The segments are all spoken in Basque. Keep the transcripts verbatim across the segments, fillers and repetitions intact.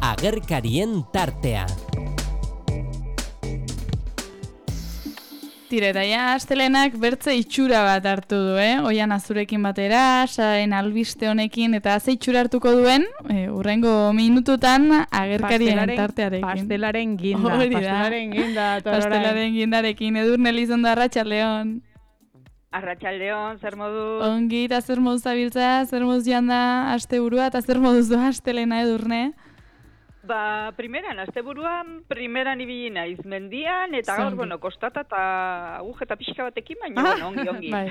Agerkarien tartea. Tira, eta ja, astelenak bertze itxura bat hartu du, eh? Oian azurekin batera, saen albiste honekin, eta ze itxura hartuko duen, e, urrengo minututan agerkarien tartearekin. Pastelaren ginda, pastelaren ginda. Pastelaren gindarekin, Edurne Elizondo, arratsaldeon. Arratsaldeon, zer modu? Ongi, eta zer moduz zabiltza, zer moduz joan da asteburua, eta zer moduz doa astelena, Edurne? Ba, primeran, asteburuan, primeran ibili naiz mendian, eta gaur, bueno, kostata eta agujeta pixka batekin, baina, ah, bueno, ongi, ongi. Bai.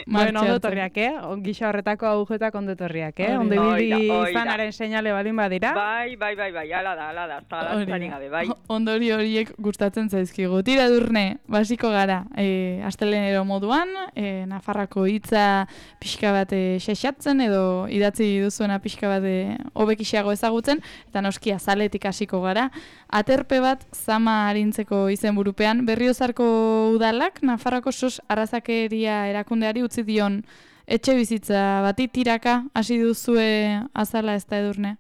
Bueno, ondo torriak, eh? Gisa horretako agujetak ondo torriak, eh? Ondo ibili izanaren seinale balin badira. Bai, bai, bai, bai, ala da, ala da, zalantzarik gabe, bai. Ondori horiek gustatzen zaizkigu. Tira, Edurne, basiko gara, e, astelenero moduan, e, Nafarrako hitza pixka bat xexatzen, edo idatzi duzuena pixka bat hobekixeago ezagutzen, eta noski azaletik hasiko gara. Aterpe bat zama arintzeko izenburupean, Berriozarko udalak Nafarroako sos arrazakeria erakundeari utzi dion etxe bizitza bati tiraka hasi duzue azala, ez da, Edurne?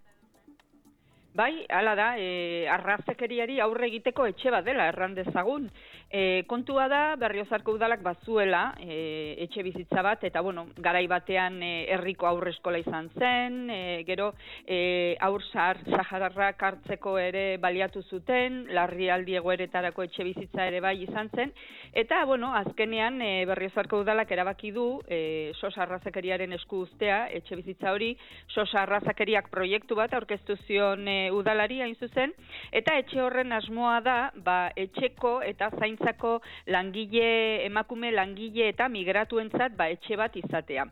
Bai, hala da, e, arrazakeriari aurre egiteko etxe bat dela, erran dezagun. E, kontua da, Berriozarko udalak bazuela e, etxe bizitza bat, eta bueno, garai batean e, herriko aurreskola izan zen, e, gero e, aur saharrak hartzeko ere baliatu zuten, larrialdi egoeretarako etxe bizitza ere bai izan zen, eta bueno, azkenean e, Berriozarko udalak erabaki du e, sos arrazakeriaren esku uztea etxe bizitza hori, sos arrazakeriak proiektu bat aurkeztu zion e, udalari hain zuzen, eta etxe horren asmoa da, ba, etxeko eta zaintzako langile, emakume langile eta migratuentzat ba, etxe bat izatea.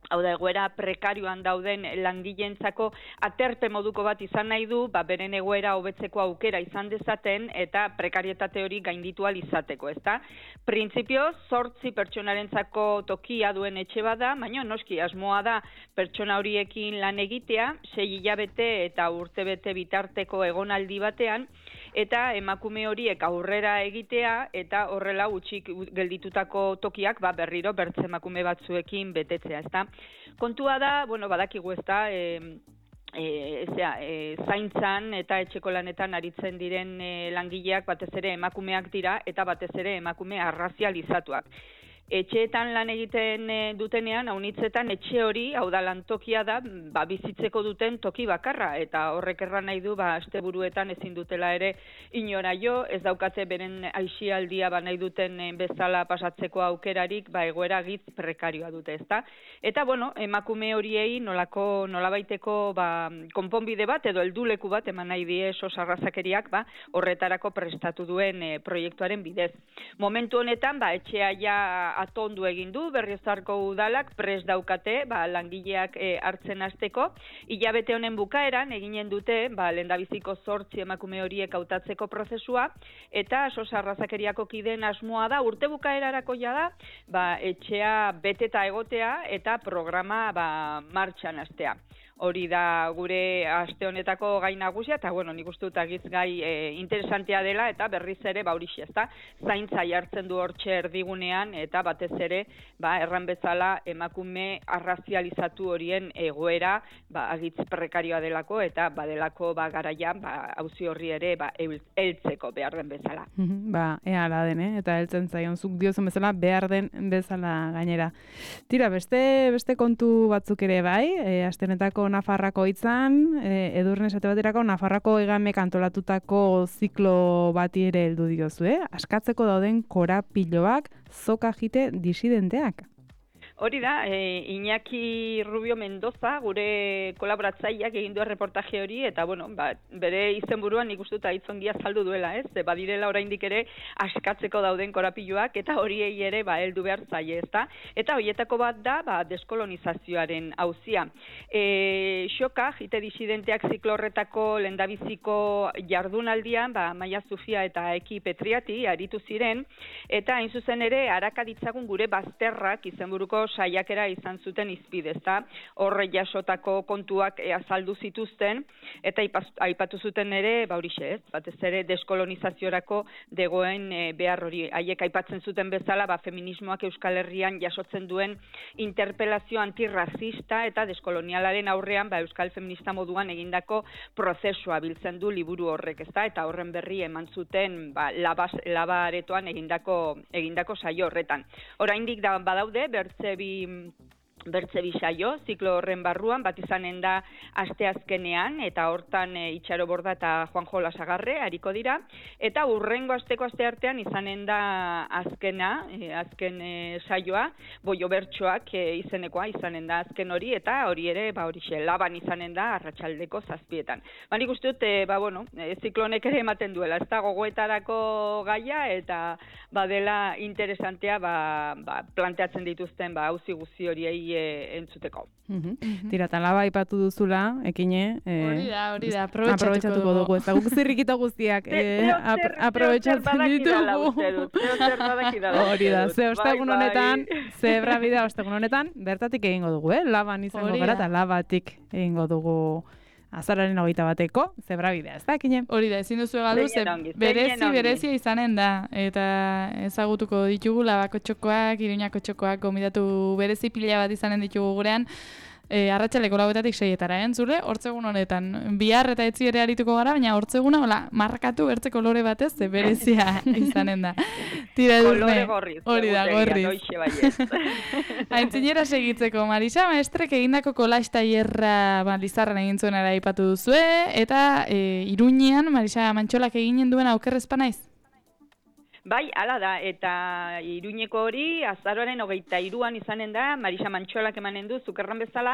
Hau da, egoera prekarioan dauden langileentzako aterpe moduko bat izan nahi du, ba, beren egoera hobetzeko aukera izan dezaten eta prekarietate hori gainditu ahal izateko, ezta? Printzipioz, zortzi pertsonarentzako tokia duen etxe bada, baina noski asmoa da pertsona horiekin lan egitea, sei hilabete eta urtebete bitarteko egonaldi batean, eta emakume horiek aurrera egitea, eta horrela utxik gelditutako tokiak ba, berriro bertze emakume batzuekin betetzea, ezta? Kontua da, bueno, badakigu ezta, e, e, zera, e, zaintzan eta etxeko lanetan aritzen diren e, langileak batez ere emakumeak dira, eta batez ere emakume arrazializatuak. Etxeetan lan egiten dutenean, haunitzetan etxe hori, hau da lantokia da, ba, bizitzeko duten toki bakarra, eta horrek erran nahi du, ba, asteburuetan ezin dutela ere inora jo, ez daukate beren aisialdia ba, nahi duten bezala pasatzeko aukerarik, ba, egoera gitz prekarioa dute, ezta? Eta, bueno, emakume horiei nolako, nolabaiteko ba, konponbide bat, edo helduleku bat, eman nahi die sos arrazakeriak, ba, horretarako prestatu duen e, proiektuaren bidez. Momentu honetan, ba, etxea ja atondu egin du, Berriozarko udalak prest daukate, ba, langileak e, hartzen hasteko. Hilabete honen bukaeran eginen dute, ba, lehendabiziko zortzi emakume horiek hautatzeko prozesua, eta sos arrazakeriako kideen asmoa da, urte bukaerarako ja da, ba, etxea beteta egotea eta programa ba, martxan hastea. Hori da gure aste honetako gai nagusia, eta bueno, nik uste dut agiz gai e, interesantea dela, eta berriz ere, ba, horixe, ezta, zaintza jartzen du hortxe erdigunean, eta batez ere, ba, erran bezala emakume arrazializatu horien egoera, ba, agitz prekarioa delako, eta badelako, ba, garaian, ba, auzi horri ere, ba, heltzeko behar den bezala. Ba, ea ala den, eh? Eta heltzen zaion, zuk diozun bezala, behar den bezala gainera. Tira, beste, beste kontu batzuk ere bai, e, aste honetako Nafarrako hitzan, e, Edurne esate baterako Nafarrako hegamek antolatutako ziklo bati ere heldu diozu, eh? Askatzeko dauden korapiloak, zoka jite disidenteak. Hori da, e, Iñaki Rubio Mendoza, gure kolaboratzaileak egin du reportaje hori, eta bueno, ba, bere izenburuan nik uste dut hitzongia saldu duela, ez? Badirela oraindik ere askatzeko dauden korapiloak, eta horiei ere ba, heldu behar zaie, ezta? Eta horietako bat da, ba, deskolonizazioaren auzia. E, xoka, jite disidenteak ziklo horretako lehendabiziko jardunaldian, ba, Maia Zufia eta Eki Petriati aritu ziren, eta hain zuzen ere harakaditzagun gure bazterrak izenburuko saiakera izan zuten izpide, ezta? Horre jasotako kontuak e, azaldu zituzten, eta aipatu zuten ere, ba horixe, ez? Batez ere deskolonizaziorako degoen e, behar hori. Haiek aipatzen zuten bezala, ba, feminismoak Euskal Herrian jasotzen duen interpelazio antirrazista eta deskolonialaren aurrean ba, Euskal Feminista moduan egindako prozesua biltzen du liburu horrek, ezta? Eta horren berri eman zuten ba, laba, laba aretoan egindako, egindako saio horretan. Oraindik da badaude, bertze bi bertze bi saio, ziklo horren barruan, bat izanen da asteazkenean, eta hortan e, Itxaro Borda eta Juanjo Lasagarre hariko dira, eta urrengo asteko asteartean izanen da azkena, e, azken e, saioa, Boio Bertsoak e, izenekoa izanen da azken hori, eta hori ere, ba horixe, laban izanen da arratsaldeko zazpietan. Ba, nik uste dut, e, ba, bueno, e, ziklonek ere ematen duela, ez da gogoetarako gaia, eta badela interesantea ba, ba, planteatzen dituzten ba, auzi guzti horiei entzuteko. Mm-hmm. Tira, eta laba aipatu duzula, ekine. Eh, hori da, hori da, aprobetxatuko dugu. Eta guk zirrikita guztiak eh, aprobetxatzen ditugu. Hori da, ze ostegun honetan, zebra bidea ostegun honetan, bertatik egingo dugu, eh? Laban izango gara, eta labatik egingo dugu azararen hogeita bateko, zebra bidea, ez da, ekine? Hori da, ezin duzu galdu, ze berezi, berezia izanen da, eta ezagutuko ditugu labako txokoak, Iruñako txokoak, gomidatu berezi pila bat izanen ditugu gurean, e, arratsaleko lauetatik seietara, entzule, hortzegun honetan, bihar eta etzi ere arituko gara, baina hortzeguna, hola, markatu bertze kolore batez, ze berezia izanen da. Tira kolore gorriz. Hori da, gorriz. Aintzinera segitzeko, Marisa, maestrek egindako kolax tailerra ba, Lizarran egin zuen aipatu duzue, eta e, Iruñean, Marisa Mantxolak eginen duen aukerrezpa naiz? Bai, hala da, eta Iruñeko hori, azaroaren hogeita iruan izanen da, Marisa Mantxolak emanen du, zukerran bezala,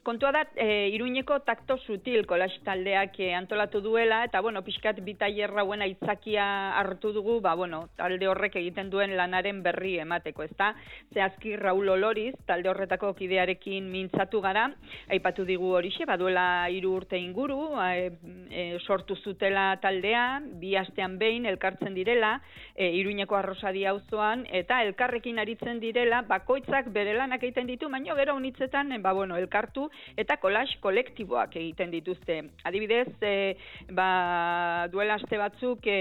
kontua da, e, Iruñeko takto sutil kolax taldeak e, antolatu duela, eta, bueno, pixkat bi tailer hauen aitzakia hartu dugu, ba, bueno, talde horrek egiten duen lanaren berri emateko, ezta? Zehazki Raul Oloriz, talde horretako kidearekin mintzatu gara, aipatu digu horixe, baduela hiru urte inguru, e, e, sortu zutela taldea, bi astean behin elkartzen direla, e, Iruñeko Arrosadi auzoan, eta elkarrekin aritzen direla, bakoitzak bere lanak egiten ditu, baina gero unitzetan, ba, bueno, elkartu eta kolax kolektiboak egiten dituzte. Adibidez, e, ba, duela aste batzuk e,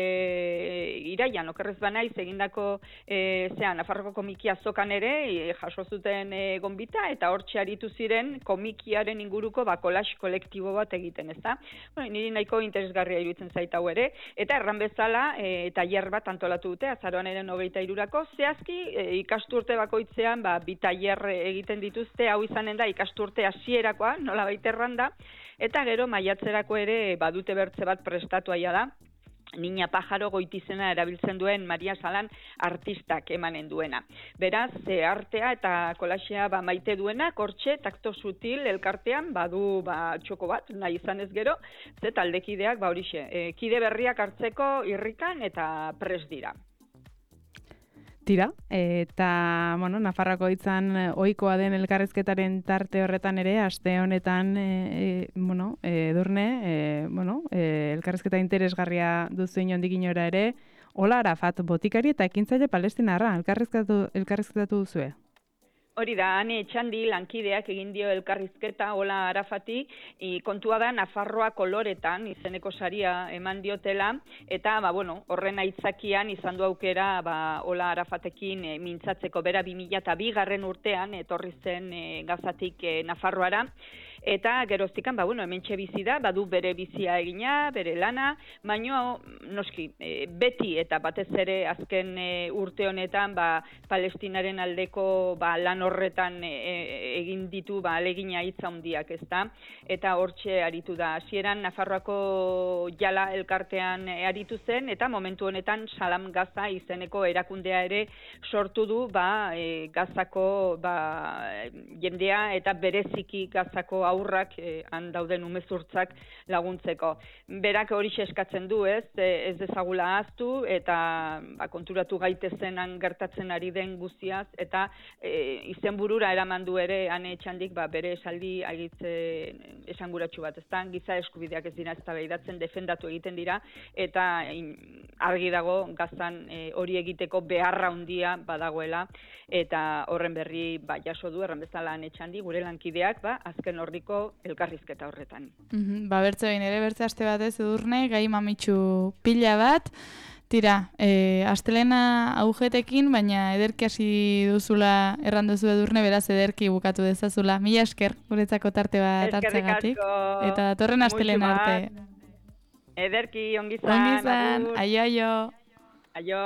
iraian, okerrez banaiz, egindako e, zean, Nafarroko komiki azokan ere, e, jaso zuten e, gonbita, eta hortxe aritu ziren komikiaren inguruko ba, kolax kolektibo bat egiten, ezta? Bueno, niri nahiko interesgarria iruditzen zaita hau ere, eta erran bezala, e, tailer bat antolatu dute, azaroan hogeita irurako, zehazki e, ikasturte bakoitzean ba, bi tailer egiten dituzte, hau izanen da ikasturte hasierakoa, nola baiterran da, eta gero maiatzerako ere badute bertze bat prestatu aia da, Niña Pajaro goitizena erabiltzen duen Maria Salan artistak emanen duena. Beraz, e, artea eta kolaxea ba, maite duena, hortxe, takto sutil elkartean, badu ba, txoko bat, nahi izan ez gero, ze taldekideak, ba horixe, e, kide berriak hartzeko irrikan eta pres dira. Tira, eta, bueno, Nafarroako hitzan ohikoa den elkarrizketaren tarte horretan ere, aste honetan, e, e, bueno, Edurne, e, bueno, e, elkarrizketa interesgarria duzu inondik inora ere, Ola Arafat botikari eta ekintzaile palestinarra, elkarrizketatu, elkarrizketatu duzue? Hori da, Ane Etxandi lankideak egin dio elkarrizketa Ola Arafati, i, kontua da Nafarroa koloretan izeneko saria eman diotela, eta ba, bueno, horren aitzakian izan du aukera ba, Ola Arafatekin e, mintzatzeko bera bi mila bi garren urtean etorri zen e, Gazatik e, Nafarroara, eta geroztikan, ba, bueno, hementxe bizi da, badu bere bizia egina, bere lana, baino, noski, e, beti eta batez ere azken e, urte honetan, ba, Palestinaren aldeko ba, lan horretan e, egin ditu ba, alegina hitza handiak, ezta? Eta hortxe aritu da. Hasieran Nafarroako jala elkartean e, aritu zen, eta momentu honetan Salam Gaza izeneko erakundea ere sortu du ba, e, Gazako ba, jendea eta bereziki Gazako haurrak, e, han dauden umezurtzak laguntzeko. Berak hori eskatzen du, ez, e, ez dezagula ahaztu, eta ba, konturatu gaitezenan gertatzen ari den guztiaz, eta e, izenburura eraman du ere Ane Etxandik ba, bere esaldi agitze esanguratsu bat, ezta? Giza eskubideak ez dira eztabaidatzen, defendatu egiten dira, eta in, argi dago Gazan e, hori egiteko beharra handia badagoela, eta horren berri ba, jaso du erran bezala Ane Etxandi, gure lankideak, ba, azken ordiko elkarrizketa horretan. Mm-hmm. Ba, bertze behin ere, bertze aste batez Edurne, gai mamitsu pila bat, tira, e, astelena agujetekin, baina ederki hasi duzula erran duzu Edurne, beraz ederki bukatu dezazula. Mila esker, guretzako tarte bat hartzegatik. Eta datorren astelena arte. Ederki, ongizan. Ongizan, aio, aio. Aio.